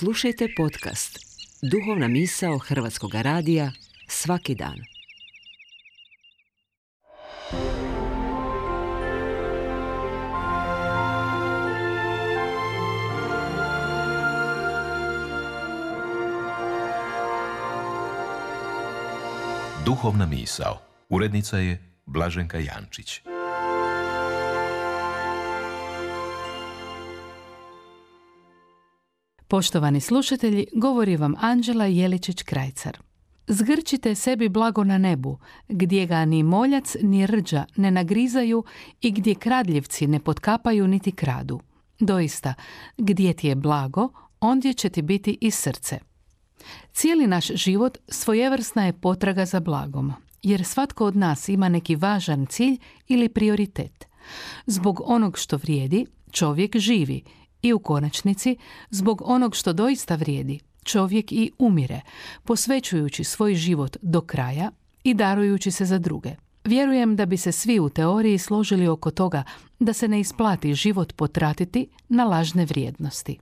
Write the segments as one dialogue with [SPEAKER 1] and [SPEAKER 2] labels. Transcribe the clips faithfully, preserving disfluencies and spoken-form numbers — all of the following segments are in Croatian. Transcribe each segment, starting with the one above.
[SPEAKER 1] Slušajte podcast Duhovna misao Hrvatskog radija svaki dan.
[SPEAKER 2] Duhovna misao. Urednica je Blaženka Jančić.
[SPEAKER 3] Poštovani slušatelji, govori vam Anđela Jeličić-Krajcar. Zgrčite sebi blago na nebu, gdje ga ni moljac ni rđa ne nagrizaju i gdje kradljivci ne potkapaju niti kradu. Doista, gdje ti je blago, ondje će ti biti i srce. Cijeli naš život svojevrsna je potraga za blagom, jer svatko od nas ima neki važan cilj ili prioritet. Zbog onog što vrijedi, čovjek živi i u konačnici, zbog onog što doista vrijedi, čovjek i umire, posvećujući svoj život do kraja i darujući se za druge. Vjerujem da bi se svi u teoriji složili oko toga da se ne isplati život potratiti na lažne vrijednosti.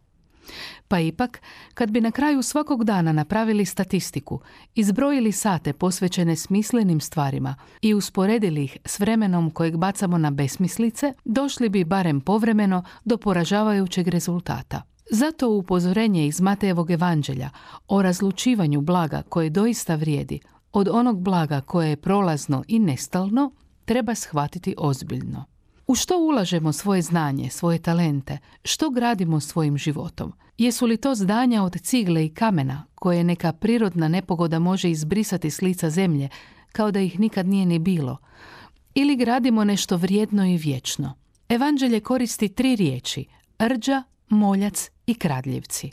[SPEAKER 3] Pa ipak, kad bi na kraju svakog dana napravili statistiku, izbrojili sate posvećene smislenim stvarima i usporedili ih s vremenom kojeg bacamo na besmislice, došli bi barem povremeno do poražavajućeg rezultata. Zato upozorenje iz Matejevog evanđelja o razlučivanju blaga koje doista vrijedi od onog blaga koje je prolazno i nestalno treba shvatiti ozbiljno. U što ulažemo svoje znanje, svoje talente? Što gradimo svojim životom? Jesu li to zdanja od cigle i kamena, koje neka prirodna nepogoda može izbrisati s lica zemlje, kao da ih nikad nije ni bilo? Ili gradimo nešto vrijedno i vječno? Evanđelje koristi tri riječi: rđa, moljac i kradljivci.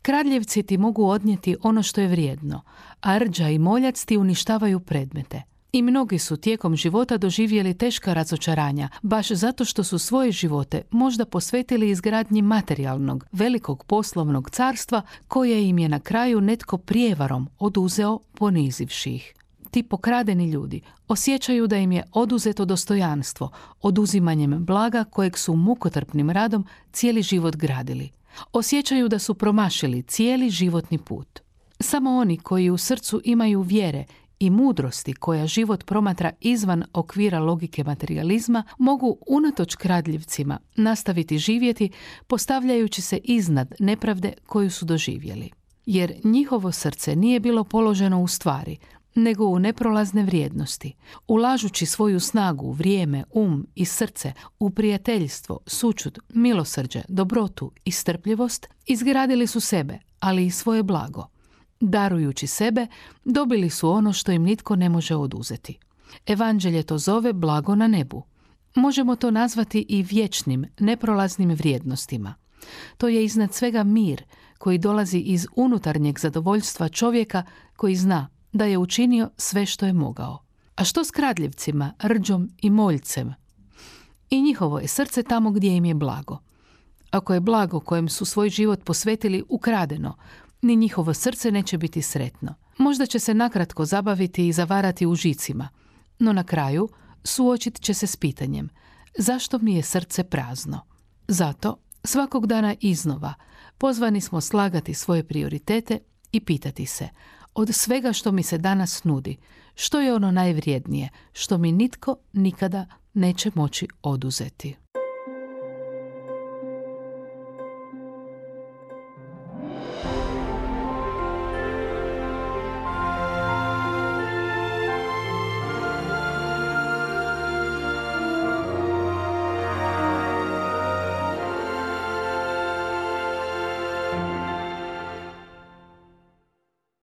[SPEAKER 3] Kradljivci ti mogu odnijeti ono što je vrijedno, a rđa i moljac ti uništavaju predmete. I mnogi su tijekom života doživjeli teška razočaranja, baš zato što su svoje živote možda posvetili izgradnji materijalnog, velikog poslovnog carstva koje im je na kraju netko prijevarom oduzeo, ponizivši ih. Ti pokradeni ljudi osjećaju da im je oduzeto dostojanstvo oduzimanjem blaga kojeg su mukotrpnim radom cijeli život gradili. Osjećaju da su promašili cijeli životni put. Samo oni koji u srcu imaju vjere i mudrosti koja život promatra izvan okvira logike materijalizma mogu unatoč kradljivcima nastaviti živjeti postavljajući se iznad nepravde koju su doživjeli. Jer njihovo srce nije bilo položeno u stvari, nego u neprolazne vrijednosti. Ulažući svoju snagu, vrijeme, um i srce u prijateljstvo, sućut, milosrđe, dobrotu i strpljivost, izgradili su sebe, ali i svoje blago. Darujući sebe, dobili su ono što im nitko ne može oduzeti. Evanđelje to zove blago na nebu. Možemo to nazvati i vječnim, neprolaznim vrijednostima. To je iznad svega mir koji dolazi iz unutarnjeg zadovoljstva čovjeka koji zna da je učinio sve što je mogao. A što s kradljivcima, rđom i moljcem? I njihovo je srce tamo gdje im je blago. Ako je blago kojem su svoj život posvetili ukradeno, ni njihovo srce neće biti sretno. Možda će se nakratko zabaviti i zavarati u žicima, no na kraju suočit će se s pitanjem: zašto mi je srce prazno? Zato, svakog dana iznova, pozvani smo slagati svoje prioritete i pitati se: od svega što mi se danas nudi, što je ono najvrijednije, što mi nitko nikada neće moći oduzeti?